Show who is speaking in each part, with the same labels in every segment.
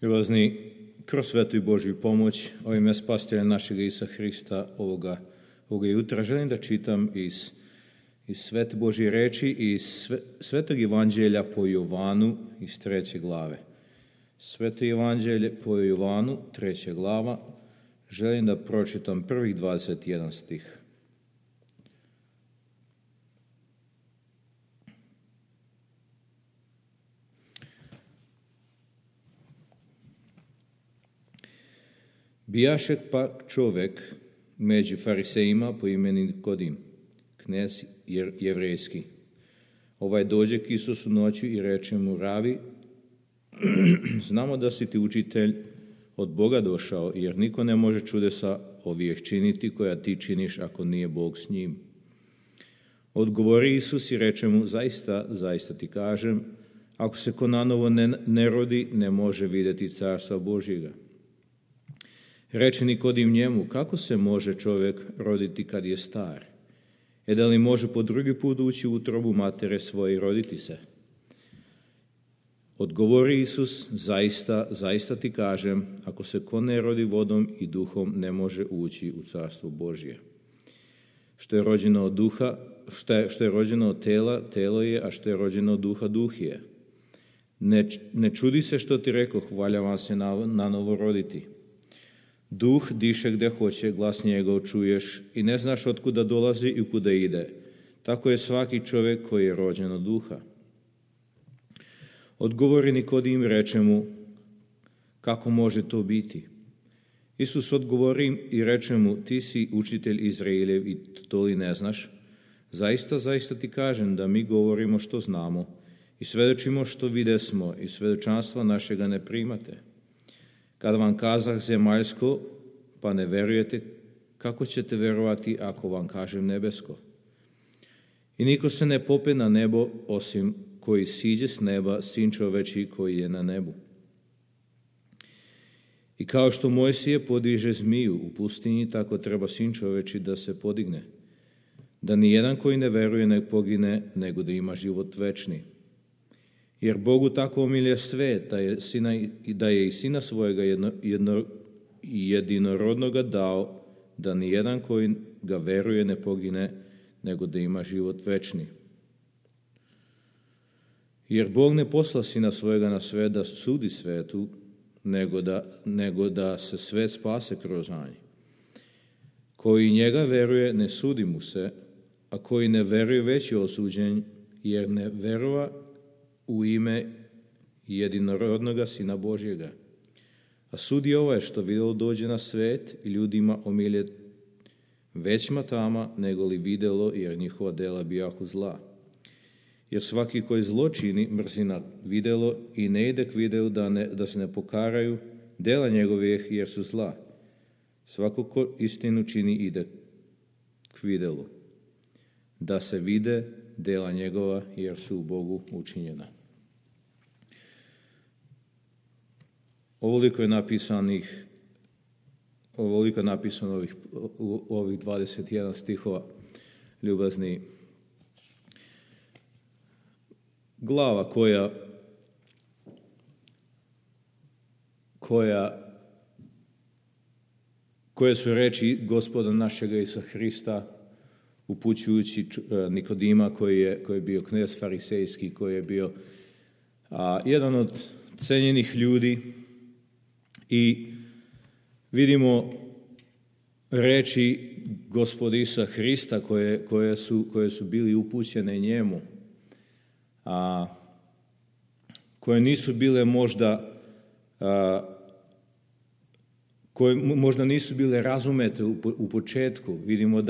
Speaker 1: Ljubazni, kroz svetu i Božju pomoć, ovim je spasitelja našega Isusa Hrista ovoga jutra. Želim da čitam iz svete Božje reči i iz svetog evanđelja po Jovanu iz 3. glave. Sveto evanđelje po Jovanu, 3. glava. Želim da pročitam prvih 21 stih. Bijaše pak čovek među farisejima po imeni Nikodim, knez jevrejski. Ovaj dođe k Isusu noću i reče mu: Ravi, znamo da si ti učitelj od Boga došao, jer niko ne može čudesa ovih činiti koja ti činiš ako nije Bog s njim. Odgovori Isus i reče mu: zaista ti kažem, ako se ko nanovo ne rodi, ne može vidjeti carstva Božjega. Reče Nikodim njemu: kako se može čovjek roditi kad je star? Da li može po drugi put ući u utrobu matere svoje i roditi se? Odgovori Isus: zaista ti kažem, ako se ko ne rodi vodom i duhom, ne može ući u carstvo Božje. Što je rođeno od duha, što je rođeno od tela, telo je, a što je rođeno od duha, duh je. Ne čudi se što ti rekoh, valja vam se na novo roditi. Duh diše gdje hoće, glas njegov čuješ i ne znaš otkuda dolazi i kuda ide. Tako je svaki čovjek koji je rođen od duha. Odgovori Nikodim i reče mu: kako može to biti? Isus odgovori i reče mu: ti si učitelj Izraeljev i to li ne znaš? Zaista ti kažem da mi govorimo što znamo i svedočimo što videsmo i svedočanstva našega ne primate. Kada vam kazah zemaljsko, pa ne verujete, kako ćete verovati ako vam kažem nebesko? I niko se ne pope na nebo, osim koji siđe s neba, sin čoveči koji je na nebu. I kao što Mojsije podiže zmiju u pustinji, tako treba sin čoveči da se podigne, da ni jedan koji ne veruje ne pogine, nego da ima život večni. Jer Bogu tako omilje svet, da je i sina svojega jedinorodnoga dao, da ni jedan koji ga veruje ne pogine, nego da ima život večni. Jer Bog ne posla sina svojega na svet da sudi svetu, nego da se svet spase kroz njega. Koji njega veruje, ne sudi mu se, a koji ne veruje, već je osuđen, jer ne verova u ime jedinorodnoga Sina Božjega. A sud je ovaj što vidjelo dođe na svet i ljudima omilje većma tama nego li vidjelo, jer njihova dela bijahu zla. Jer svaki koji zlo čini mrzi na vidjelo i ne ide k vidjelu da se ne pokaraju dela njegovih, jer su zla. Svako ko istinu čini ide k vidjelu da se vide dela njegova, jer su u Bogu učinjena. Ovoliko je napisano ovih 21 stihova, ljubazni. Glava koje su reči Gospoda našega Isusa Hrista upućujući Nikodima koji je bio knez farisejski, koji je bio jedan od cenjenih ljudi, i vidimo reči Gospoda Isusa Hrista koje su bili upućene njemu, koje nisu bile koje možda nisu bile razumete u početku. Vidimo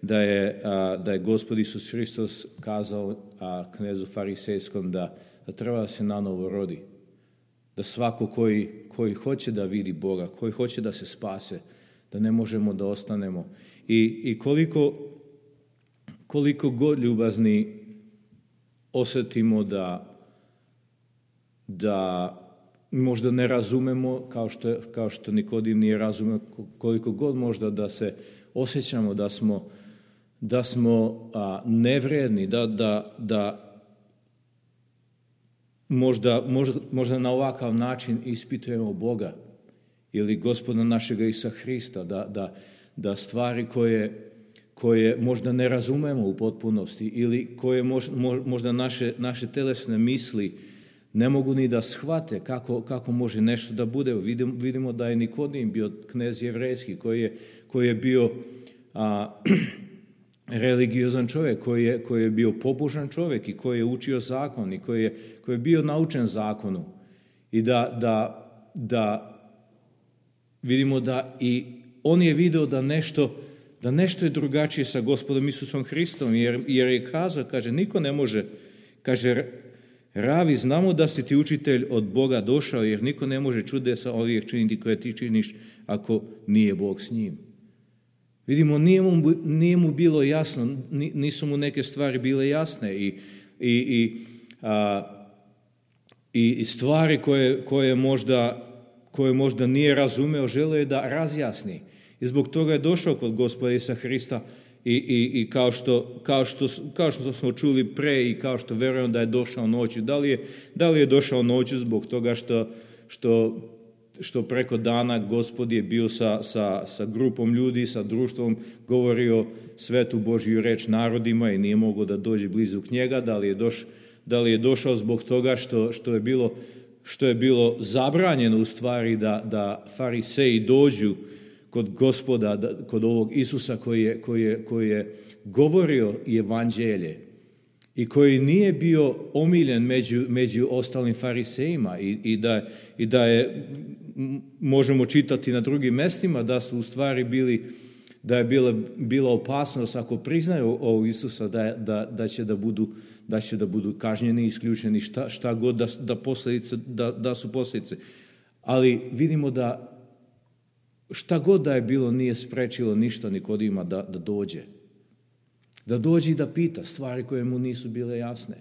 Speaker 1: da je Gospod Isus Hristos kazao knezu farisejskom da treba da se nanovo rodi. Da svako koji hoće da vidi Boga, koji hoće da se spase, da ne možemo da ostanemo. I koliko god ljubazni osjetimo da možda ne razumemo, kao što Nikodim nije razumeo, koliko god možda da se osjećamo da smo nevredni, možda na ovakav način ispitujemo Boga ili Gospoda našega Isusa Hrista, da stvari koje možda ne razumemo u potpunosti ili koje možda naše telesne misli ne mogu ni da shvate kako može nešto da bude. Vidimo da je Nikodim bio knez jevrejski koji je bio religiozan čovjek, koji je bio pobožan čovjek i koji je učio zakon i koji je bio naučen zakonu. I da vidimo da i on je video da nešto je drugačije sa Gospodom Isusom Hristom, jer je kazao, kaže, niko ne može, kaže, Ravi, znamo da si ti učitelj od Boga došao, jer niko ne može čudesa ovih činiti koje ti činiš ako nije Bog s njim. Vidimo, nije mu bilo jasno, nisu mu neke stvari bile jasne i stvari koje možda nije razumeo, želeo je da razjasni. I zbog toga je došao kod Gospoda Isusa Hrista i kao što smo čuli pre i kao što verujem da je došao noću. Da li je došao noću zbog toga što preko dana Gospod je bio sa grupom ljudi, sa društvom, govorio svetu Božju reč narodima i nije mogao da dođe blizu k njega. Da li je došao zbog toga što je bilo zabranjeno u stvari da fariseji dođu kod Gospoda, kod ovog Isusa koji je govorio evanđelje i koji nije bio omiljen među ostalim farisejima i da je, možemo čitati na drugim mestima, da su u stvari da je bila opasnost ako priznaju ovog Isusa da će da budu kažnjeni, isključeni, šta god da su posljedice. Ali vidimo da šta god da je bilo nije sprečilo ništa Nikodima da dođe. Da dođe i da pita stvari koje mu nisu bile jasne.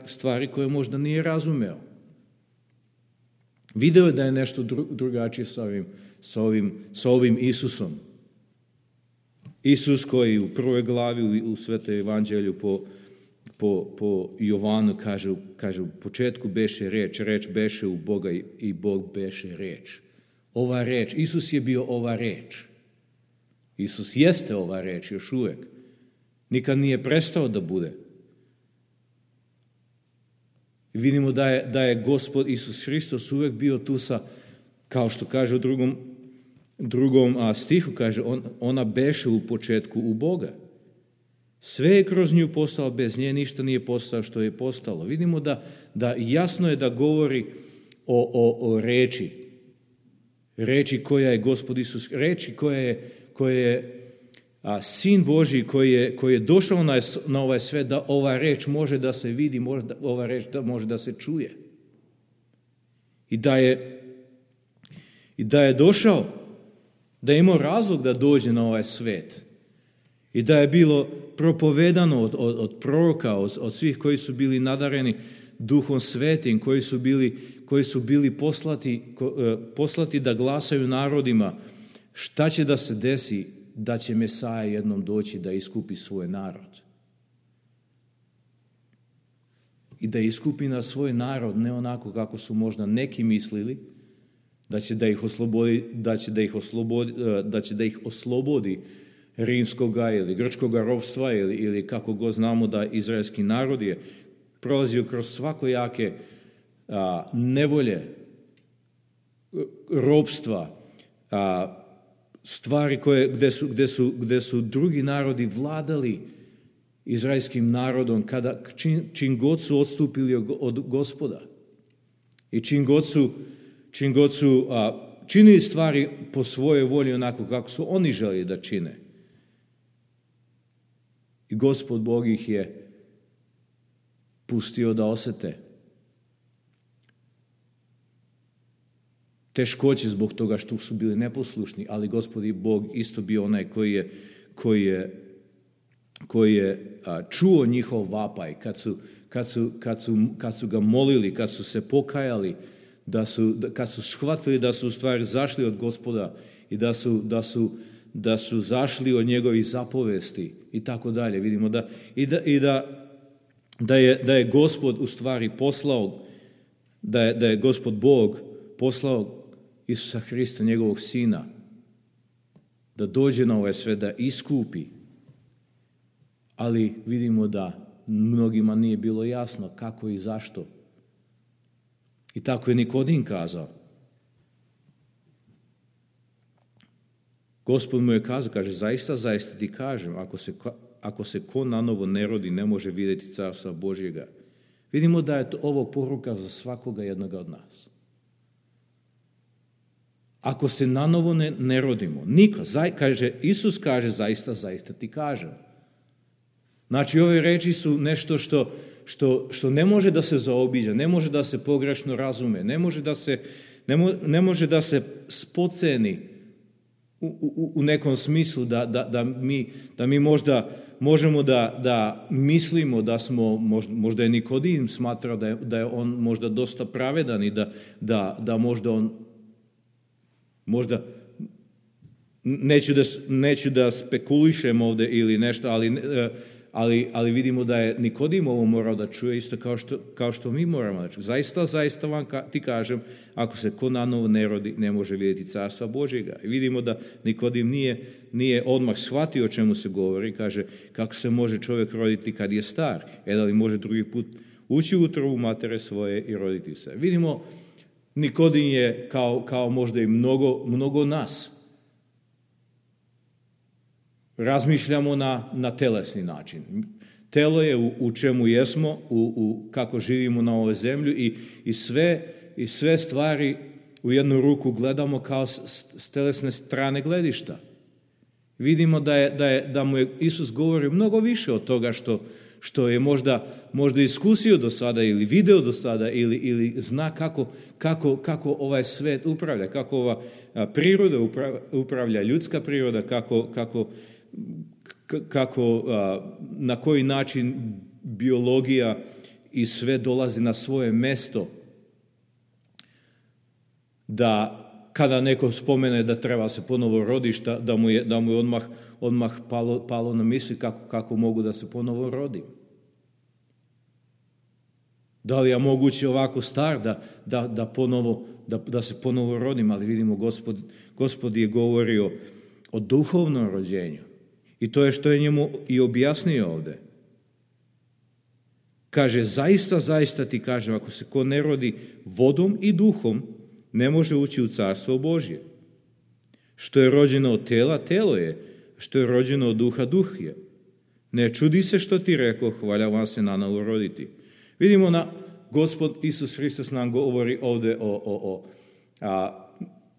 Speaker 1: Stvari koje možda nije razumeo. Video je da je nešto drugačije sa ovim Isusom. Isus koji u prvoj glavi u Svetom evanđelju po Jovanu kaže u početku beše reč beše u Boga i Bog beše reč. Ova reč, Isus je bio ova reč. Isus jeste ova reč još uvijek. Nikad nije prestao da bude. I vidimo da je Gospod Isus Hristos uvijek bio tu kao što kaže u drugom stihu, kaže, ona beše u početku u Boga. Sve je kroz nju postalo, bez nje ništa nije postalo što je postalo. Vidimo da jasno je da govori o reči. Reči koja je Gospod Isus, reči koja je Sin Božji koji je došao na ovaj svet, da ova reč može da se vidi, ova reč može da se čuje. I da je došao, da je imao razlog da dođe na ovaj svet. I da je bilo propovedano od proroka, od svih koji su bili nadareni Duhom Svetim, koji su bili poslati da glasaju narodima šta će da se desi, da će Mesaja jednom doći da iskupi svoj narod. I da iskupi na svoj narod ne onako kako su možda neki mislili, da će da ih oslobodi rimskoga ili grčkoga ropstva ili kako god znamo da izraelski narod je prolazio kroz svakojake nevolje, ropstva, stvari gde su drugi narodi vladali izraelskim narodom čim god su odstupili od Gospoda i čim god su činili stvari po svojoj volji onako kako su oni želi da čine. I Gospod Bog ih je pustio da osete teškoće zbog toga što su bili neposlušni, ali Gospod Bog isto bio onaj koji je čuo njihov vapaj kad su ga molili, kad su se pokajali, kad su shvatili da su u stvari zašli od Gospoda i da su zašli od njegovih zapovesti i tako dalje. Vidimo da je Gospod u stvari poslao, da je Gospod Bog poslao Isusa Hrista, njegovog Sina, da dođe na ovaj svijet, da iskupi. Ali vidimo da mnogima nije bilo jasno kako i zašto. I tako je Nikodim kazao. Gospod mu je kazao, kaže, zaista, zaista ti kažem, ako se ko nanovo ne rodi, ne može vidjeti carstva Božjega. Vidimo da je ovo poruka za svakoga jednoga od nas. Ako se nanovo ne rodimo, niko, Isus kaže, zaista, zaista ti kažem. Znači, ove reči su nešto što ne može da se zaobiđe, ne može da se pogrešno razume, ne može da se spoceni u nekom smislu da mi možda možemo da mislimo da smo, možda je Nikodim smatrao da je on možda dosta pravedan i da možda on, možda, neću da spekulišem ovdje ili nešto, ali vidimo da je Nikodim ovo morao da čuje isto kao što mi moramo da čuje. Zaista, zaista vam ti kažem, ako se ko nanovo ne rodi, ne može vidjeti carstva Božjega. I vidimo da Nikodim nije odmah shvatio o čemu se govori. Kaže, kako se može čovjek roditi kad je star? Da li može drugi put ući u utrobu matere svoje i roditi se? Vidimo, Nikodim je kao možda i mnogo nas. Razmišljamo na telesni način. Telo je u čemu jesmo, kako živimo na ovoj zemlji i sve stvari u jednu ruku gledamo kao s telesne strane gledišta. Vidimo da mu je Isus govorio mnogo više od toga što je možda iskusio do sada ili video do sada ili zna kako ovaj svet upravlja, kako ova priroda upravlja, ljudska priroda, kako na koji način biologija i sve dolazi na svoje mesto, da kada neko spomene da treba se ponovo rodišta, da mu je odmah palo na misli kako mogu da se ponovo rodim. Da li je moguće ovako star da se ponovo rodim, ali vidimo Gospod je govorio o duhovnom rođenju. I to je što je njemu i objasnio ovdje. Kaže, zaista, zaista ti kažem, ako se ko ne rodi vodom i duhom, ne može ući u carstvo Božje. Što je rođeno od tela, telo je. Što je rođeno od duha, duh je. Ne čudi se što ti rekao, valja vam se nanovo roditi. Vidimo Gospod Isus Hristos nam govori ovdje o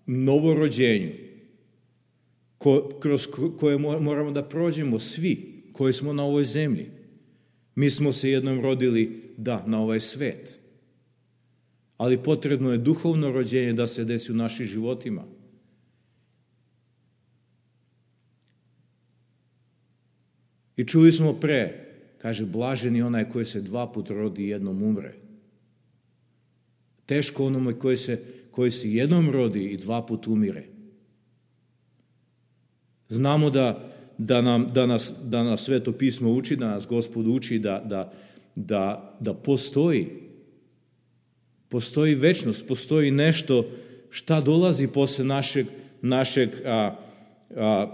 Speaker 1: novorođenju, kroz koje moramo da prođemo svi koji smo na ovoj zemlji. Mi smo se jednom rodili, na ovaj svet. Ali potrebno je duhovno rođenje da se desi u našim životima. I čuli smo kaže, blažen je onaj koji se 2 puta rodi i jednom umre. Teško onome koji se jednom rodi i 2 puta umire. Znamo da nas Sveto pismo uči, da nas Gospod uči da postoji večnost, postoji nešto šta dolazi posle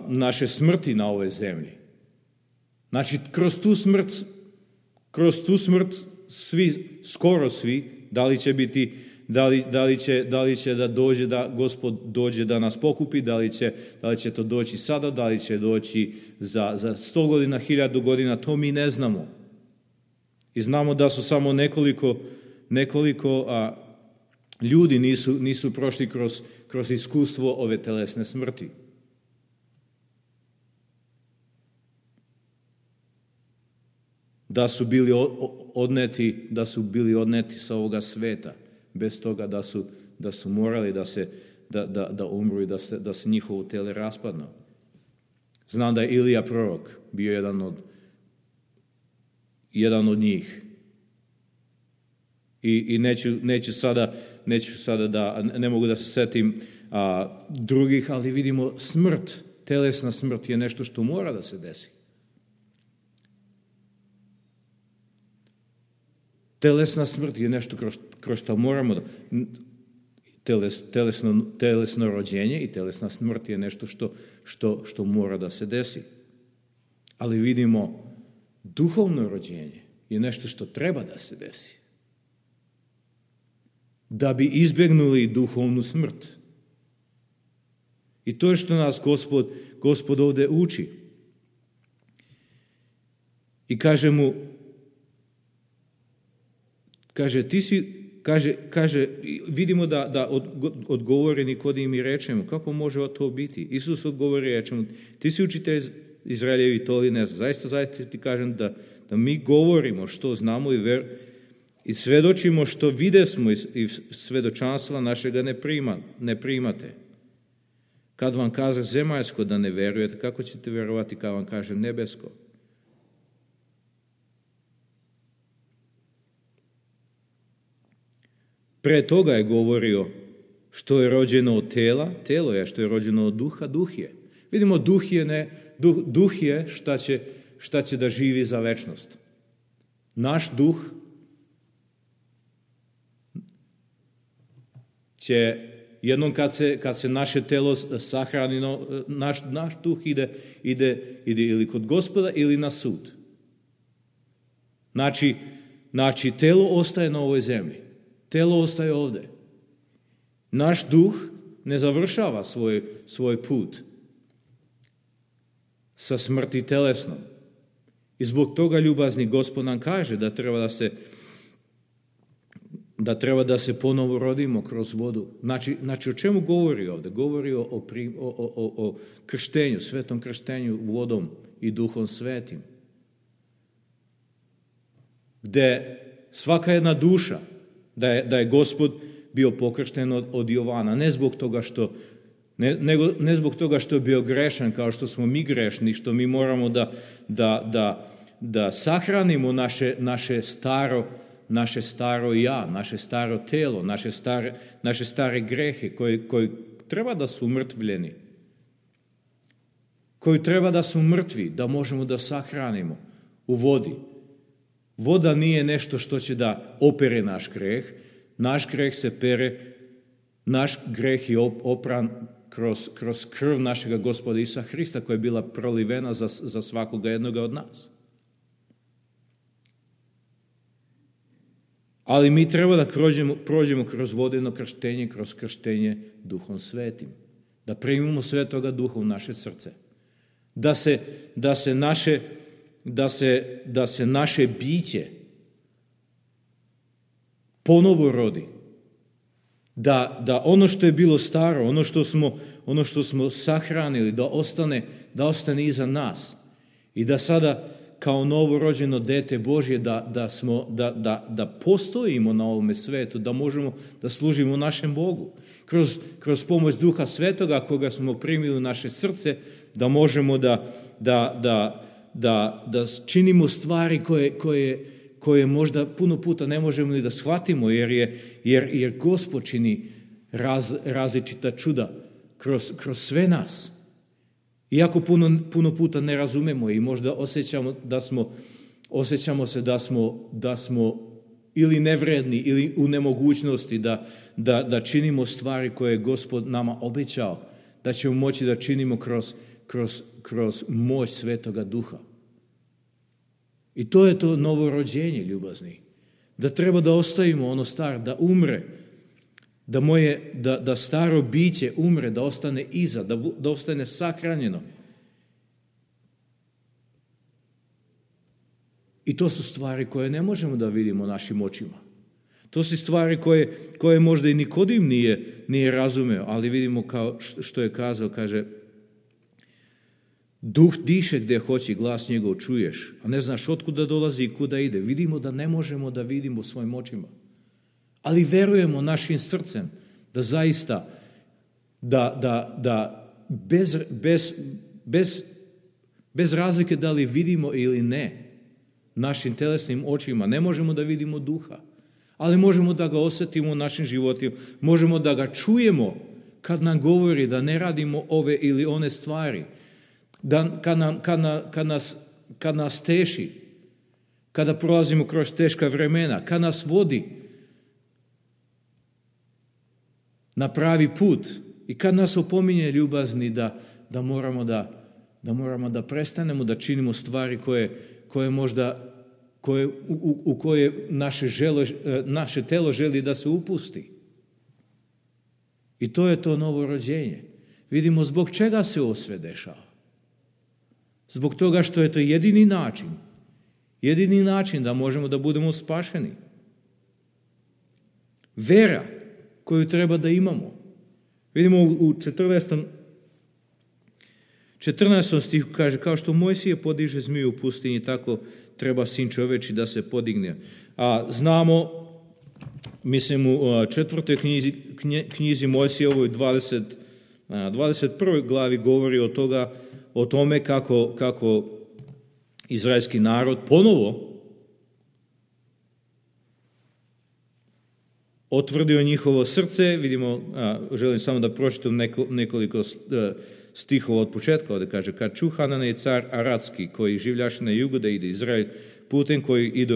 Speaker 1: naše smrti na ovoj zemlji. Znači, kroz tu smrt skoro svi, da li će biti, da li će da dođe, da Gospod dođe da nas pokupi, da li će to doći sada, da li će doći za 100 godina, 1000 godina, to mi ne znamo. I znamo da su samo nekoliko ljudi nisu prošli kroz iskustvo ove telesne smrti. Da su bili odneti sa ovoga sveta, bez toga da su morali da umru i da se njihovo tele raspadnu. Znam da je Ilija prorok bio jedan od njih. I neću sada ne mogu da se setim drugih, ali vidimo telesna smrt je nešto što mora da se desi. Telesna smrt je nešto kroz što moramo da... Telesno rođenje i telesna smrt je nešto što mora da se desi. Ali vidimo, duhovno rođenje je nešto što treba da se desi. Da bi izbjegnuli duhovnu smrt. I to je što nas Gospod ovdje uči. I kaže mu, vidimo da odgovori Nikodim i reče mu, kako može to biti? Isus odgovori i reče mu, ti si učitelj Izraeljevi, to li ne znam. Zaista ti kažem da mi govorimo što znamo i svedočimo što videsmo i svedočanstva našega ne primate. Kad vam kaže zemaljsko da ne verujete, kako ćete vjerovati kad vam kaže nebesko? Pre toga je govorio što je rođeno od tela, telo je, što je rođeno od duha, duh je. Vidimo, duh je šta će da živi za večnost. Naš duh će, jednom kad se naše telo sahrani, naš duh ide ili kod Gospoda ili na sud. Znači, telo ostaje na ovoj zemlji. Telo ostaje ovdje. Naš duh ne završava svoj put sa smrti telesnom. I zbog toga ljubazni Gospod nam kaže da treba da se ponovo rodimo kroz vodu. Znači o čemu govori ovdje? Govori o krštenju, svetom krštenju vodom i Duhom Svetim. Gde svaka jedna duša, da je Gospod bio pokršten od Jovana, ne zbog toga što je bio grešan, kao što smo mi grešni, što mi moramo da sahranimo naše staro ja, naše staro telo, naše stare grehe koji treba da su umrtvljeni, koji treba da su mrtvi, da možemo da sahranimo u vodi. Voda nije nešto što će da opere naš greh. Naš greh se pere, naš greh je opran kroz krv našega Gospoda Isusa Hrista koja je bila prolivena za svakoga jednoga od nas. Ali mi treba da prođemo kroz vodeno krštenje, kroz krštenje Duhom Svetim. Da primimo Svetoga Duha u naše srce. Da se naše biće ponovo rodi. Da ono što je bilo staro, ono što smo sahranili, da ostane iza nas. I da sada kao novorođeno dete Božje da postojimo na ovome svetu, da možemo da služimo našem Bogu. Kroz pomoć Duha Svetoga koga smo primili u naše srce, da možemo da činimo stvari koje možda puno puta ne možemo ni da shvatimo, jer Gospod čini različita čuda kroz sve nas. Iako puno puta ne razumemo i možda osjećamo se da smo ili nevredni ili u nemogućnosti da činimo stvari koje je Gospod nama obećao, da ćemo moći da činimo kroz moć Svetoga Duha. I to je to novorođenje, ljubazni. Da treba da ostavimo ono staro, da umre, da staro biće umre, da ostane iza, da ostane sahranjeno. I to su stvari koje ne možemo da vidimo našim očima. To su stvari koje možda i Nikodim nije razumeo, ali vidimo kao što je kazao, kaže, duh diše gdje hoće, glas njegov čuješ, a ne znaš otkuda dolazi i kuda ide. Vidimo da ne možemo da vidimo svojim očima. Ali verujemo našim srcem da zaista da bez razlike da li vidimo ili ne našim telesnim očima, ne možemo da vidimo duha, ali možemo da ga osjetimo u našim životima, možemo da ga čujemo kad nam govori da ne radimo ove ili one stvari, kad nas teši, kada prolazimo kroz teška vremena, kad nas vodi na pravi put i kad nas opominje ljubazni da moramo da prestanemo da činimo stvari koje možda u koje naše telo želi da se upusti. I to je to novo rođenje. Vidimo zbog čega se ovo sve dešava. Zbog toga što je to jedini način da možemo da budemo spašeni. Vera koju treba da imamo. Vidimo u 14. stihu kaže, kao što Mojsije podiže zmiju u pustinji, tako treba Sin čoveči da se podigne. A znamo, mislim u 4. knjizi Mojsije, ovoj 21. glavi govori o tome kako izraelski narod ponovo otvrdio njihovo srce. Vidimo, želim samo da pročitam nekoliko stihova od početka, ovdje kaže, kad ču Hananej car Aradski, koji življaše na jugu da ide Izrael, putem koji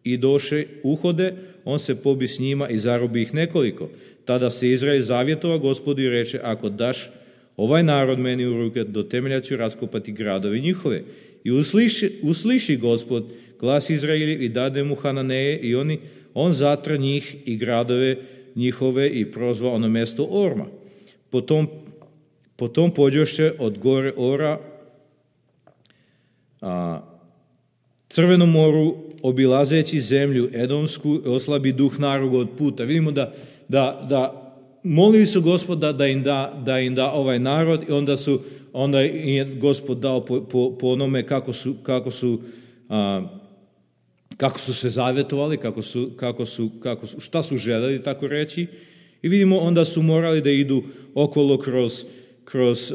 Speaker 1: idoše uhode, on se pobi s njima i zarobi ih nekoliko. Tada se Izrael zavjetova Gospodu i reče, ako daš ovaj narod meni u ruke, do temelja ću raskopati gradove njihove. I usliši Gospod glas Izraeljev i dade mu Hananeje i on zatra njih i gradove njihove i prozva ono mjesto Orma. Potom pođoše od gore Ora Crvenom moru, obilazeći zemlju Edomsku, oslabi duh naroda od puta. Vidimo da molili su Gospoda da im da ovaj narod i onda je Gospod dao po onome kako su se zavjetovali, šta su željeli tako reći. I vidimo onda su morali da idu okolo kroz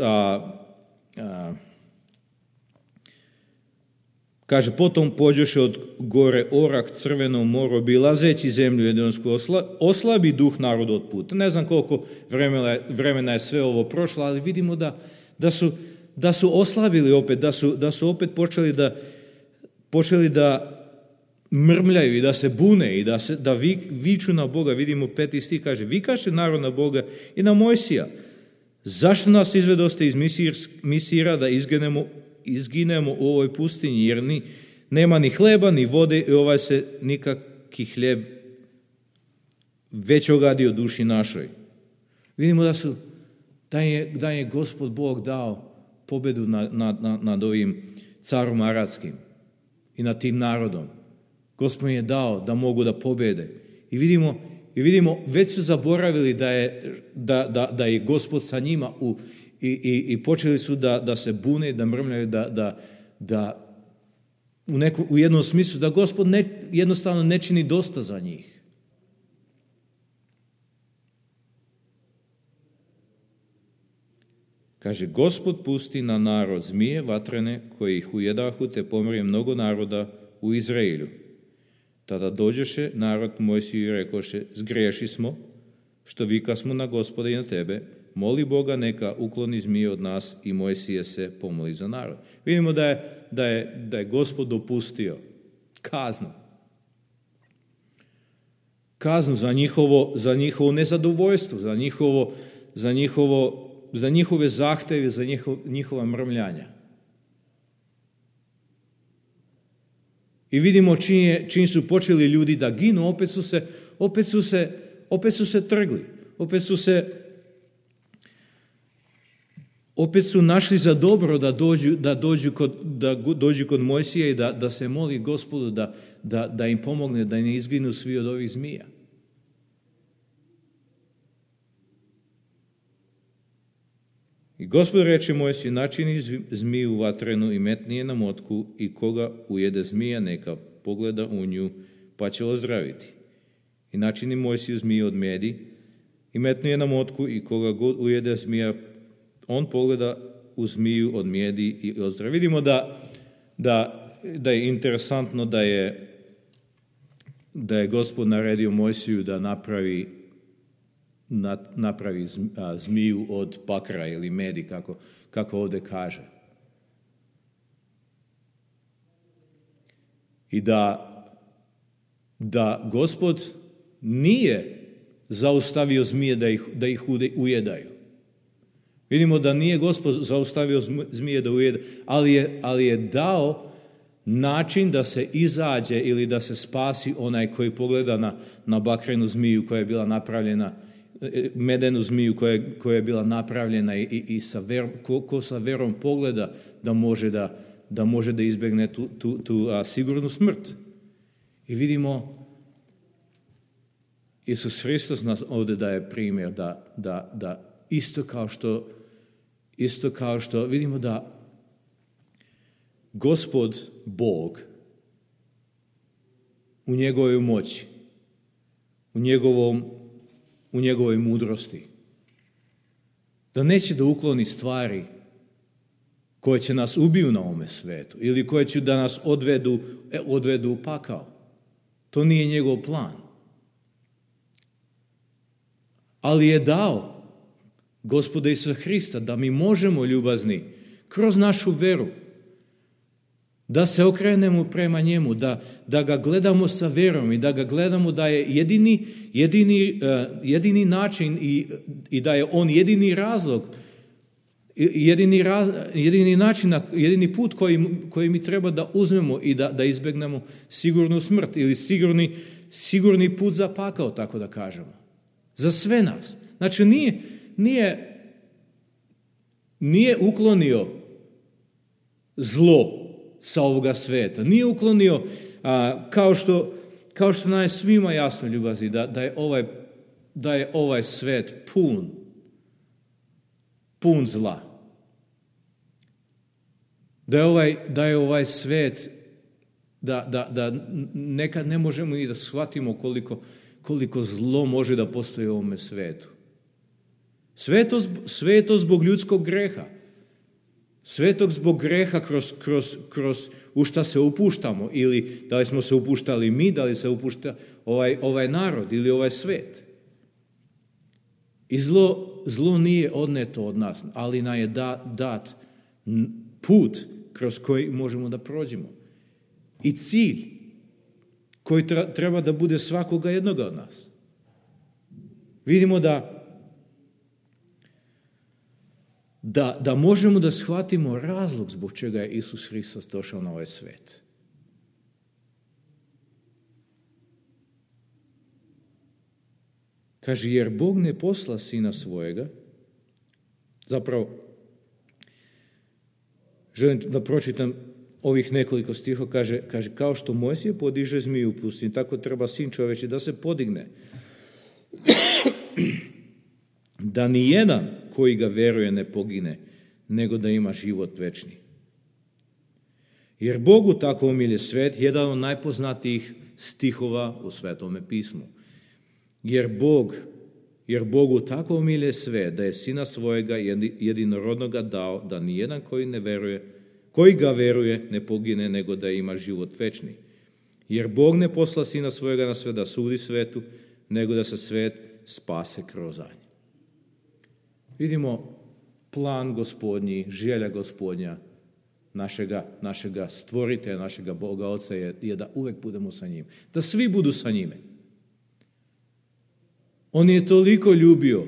Speaker 1: kaže, potom pođoše od gore Orak Crvenom moru, obilazeći zemlju Edomsku, oslabi duh naroda od puta. Ne znam koliko vremena je sve ovo prošlo, ali vidimo da su oslabili opet, da su opet počeli da mrmljaju i da se bune i da viču na Boga. Vidimo 5. stih kaže, vikaše narod na Boga i na Mojsija. Zašto nas izvedoste iz Misira da izginemo u ovoj pustinji, jer nema ni hleba, ni vode i ovaj se nikaki hljeb već ogadio duši našoj. Vidimo da je Gospod Bog dao pobedu nad ovim carom Aradskim i nad tim narodom. Gospod je dao da mogu da pobede. I vidimo već su zaboravili da je Gospod sa njima i počeli su da se bune, da mrmljaju, da u jednom smislu da Gospod jednostavno ne čini dosta za njih. Kaže, Gospod pusti na narod zmije vatrene koji ih ujedahu, te pomrije mnogo naroda u Izraelju. Tada dođeše narod Mojsiju i rekoše, zgreši smo, što vikasmo na Gospoda i na tebe, moli Boga neka ukloni zmije od nas, i Mojsije se pomoli za narod. Vidimo da je Gospod dopustio kaznu za njihovo nezadovoljstvo, za njihove zahtjeve, za njihova mrmljanja. I vidimo čim su počeli ljudi da ginu, opet su se trgli, opet su našli za dobro da dođu kod Mojsija i da se moli Gospodu da im pomogne, da ne izginu svi od ovih zmija. I Gospod reče Mojsiju, načini zmiju vatrenu i metni je na motku, i koga ujede zmija neka pogleda u nju, pa će ozdraviti. I načini Mojsiju zmiju od medi i metni je na motku, i koga god ujede zmija, on pogleda u zmiju od medi i ozdravi. Vidimo da je interesantno da je Gospod naredio Mojsiju da napravi zmiju od pakra ili medi, kako ovdje kaže. I da Gospod nije zaustavio zmije da ih ujedaju. Vidimo da nije Gospod zaustavio zmije da ujedaju, ali je dao način da se izađe ili da se spasi onaj koji pogleda na bakrenu zmiju koja je bila napravljena, medenu zmiju koja je bila napravljena i ko sa verom pogleda da može da izbjegne tu sigurnu smrt. I vidimo, Isus Hristos nas ovdje daje primjer da isto kao što vidimo da Gospod Bog u njegovoj moći, u njegovoj mudrosti, da neće da ukloni stvari koje će nas ubiju na ovome svetu ili koje će da nas odvedu u pakao. To nije njegov plan. Ali je dao Gospoda Isusa Hrista da mi možemo, ljubazni, kroz našu veru, da se okrenemo prema njemu, da ga gledamo sa verom i da ga gledamo da je jedini način i da je on jedini razlog, jedini način, jedini put koji mi treba da uzmemo i da izbjegnemo sigurnu smrt ili sigurni put za pakao, tako da kažemo. Za sve nas. Znači nije uklonio zlo sa ovoga sveta. Nije uklonio, kao što nam je svima jasno, ljubazni, da je ovaj svet pun zla. Da je ovaj svet, da nekad ne možemo i da shvatimo koliko zlo može da postoji u ovome svetu. Sve je to zbog ljudskog greha. Svetog zbog greha kroz u šta se upuštamo, ili da li smo se upuštali mi, da li se upušta ovaj narod ili ovaj svet. I zlo nije odneto od nas, ali nam je dat put kroz koji možemo da prođemo. I cilj koji treba da bude svakoga jednoga od nas. Vidimo da možemo da shvatimo razlog zbog čega je Isus Hristos došao na ovaj svet. Kaže, jer Bog ne posla sina svojega, zapravo, želim da pročitam ovih nekoliko stiha, kaže, kao što Mojsije podiže zmiju u pustinji, tako treba sin čoveči da se podigne. Da ni jedan koji ga veruje ne pogine, nego da ima život večni. Jer Bogu tako umilje svet, jedan od najpoznatijih stihova u Svetome pismu. Jer Bogu tako umilje svet, da je sina svojega jedinorodnoga dao, da ni jedan koji ga veruje ne pogine, nego da ima život večni. Jer Bog ne posla sina svojega na svet da sudi svetu, nego da se svet spase kroz njega. Vidimo plan Gospodnji, želja Gospodnja, našega stvoritelja, našega Boga Oca je da uvek budemo sa njim. Da svi budu sa njime. On je toliko ljubio,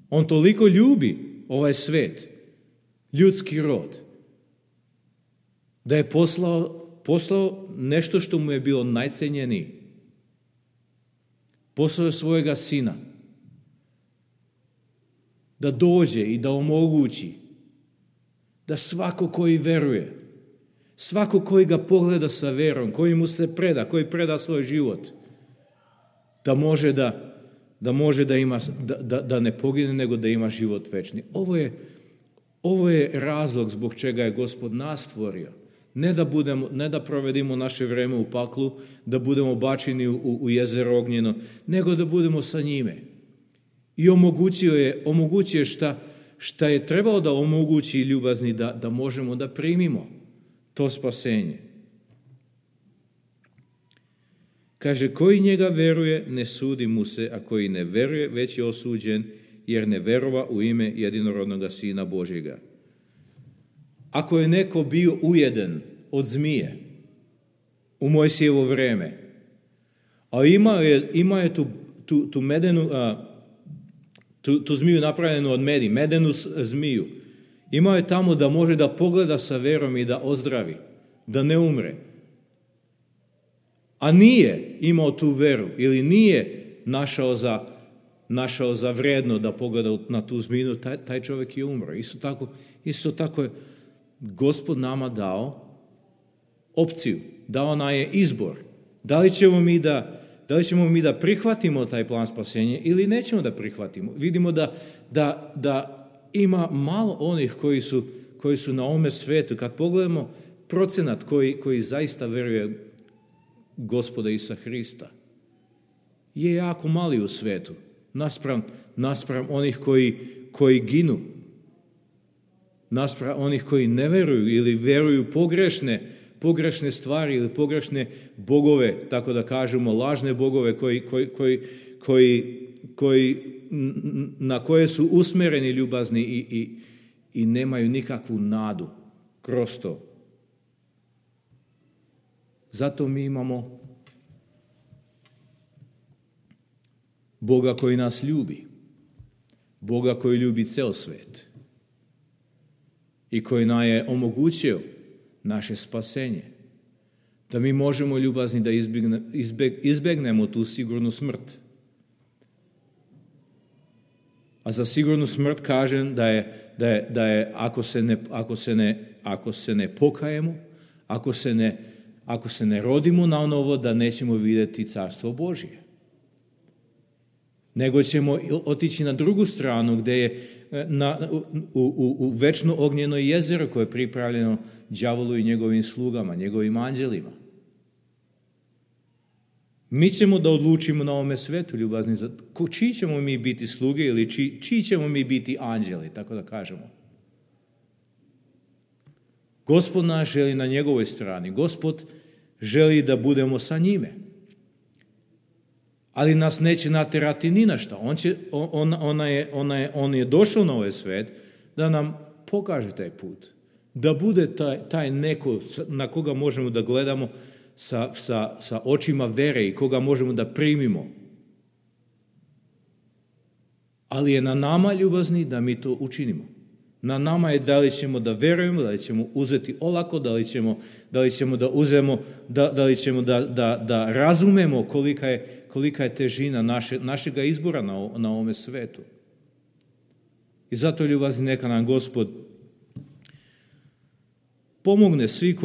Speaker 1: on toliko ljubi ovaj svet, ljudski rod, da je poslao nešto što mu je bilo najcenjeniji. Poslao je svojega sina da dođe i da omogući da svako koji veruje, svako koji ga pogleda sa verom, koji mu se preda, koji preda svoj život, da može da ima, da ne pogine, nego da ima život večni. Ovo je razlog zbog čega je Gospod nas stvorio. Ne da provedimo naše vreme u paklu, da budemo bačeni u jezero ognjeno, nego da budemo sa njime. I omogućuje šta je trebalo da omogući ljubazni da možemo da primimo to spasenje. Kaže, koji njega veruje, ne sudi mu se, a koji ne veruje, već je osuđen, jer ne verova u ime jedinorodnoga Sina Božjega. Ako je neko bio ujeden od zmije, u Mojsijevo vrijeme. A imao je tu medenu, tu zmiju napravljenu od medi, medenu zmiju. Imao je tamo da može da pogleda sa verom i da ozdravi, da ne umre. A nije imao tu veru ili nije našao za vredno da pogleda na tu zmiju, taj čovjek je umro. Isto tako je Gospod nama dao opciju, dao nam je izbor. Da li ćemo mi da prihvatimo taj plan spasenja ili nećemo da prihvatimo. Vidimo da ima malo onih koji su na ovome svetu. Kad pogledamo procenat koji zaista veruje Gospoda Isusa Hrista, je jako mali u svetu. Naspram onih koji ginu. Naspram onih koji ne veruju ili veruju pogrešne stvari ili pogrešne bogove, tako da kažemo, lažne bogove na koje su usmereni ljubazni i nemaju nikakvu nadu kroz to. Zato mi imamo Boga koji nas ljubi, Boga koji ljubi ceo svet i koji nam je omogućio naše spasenje, da mi možemo ljubazni da izbegnemo tu sigurnu smrt. A za sigurnu smrt kažem da je ako se ne pokajemo, ako se ne rodimo na novo, da nećemo vidjeti Carstvo Božje. Nego ćemo otići na drugu stranu gdje je u večno ognjeno jezero koje je pripravljeno đavolu i njegovim slugama, njegovim anđelima. Mi ćemo da odlučimo na ovome svetu, ljubazni, čiji ćemo mi biti sluge ili čiji ćemo mi biti anđeli, tako da kažemo. Gospod nas želi na njegovoj strani. Gospod želi da budemo sa njime. Ali nas neće naterati ni na šta. On je došao na ovaj svet da nam pokaže taj put. Da bude taj neko na koga možemo da gledamo sa očima vere i koga možemo da primimo. Ali je na nama, ljubazni, da mi to učinimo. Na nama je da li ćemo da verujemo, da li ćemo uzeti olako, da li ćemo da uzemo, da li ćemo da razumemo kolika je težina našega izbora na ovome svetu. I zato, ljubazni, neka nam Gospod pomogne svi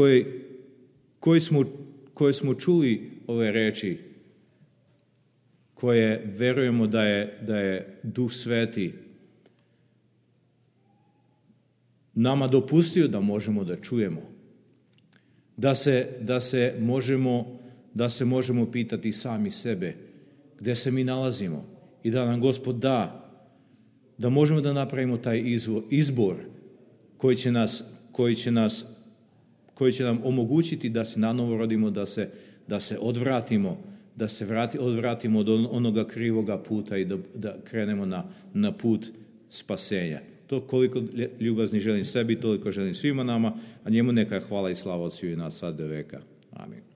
Speaker 1: koji smo čuli ove reči, koje verujemo da je Duh Sveti nama dopustio da možemo da čujemo. Da se možemo pitati sami sebe gdje se mi nalazimo i da nam Gospod da možemo da napravimo taj izbor koji će nam omogućiti da se nanovo rodimo, da se odvratimo, odvratimo od onoga krivoga puta i da krenemo na put spasenja. To koliko ljubazni želim sebi, toliko želim svima nama, a njemu neka hvala i slava od svih nas sad do veka. Amin.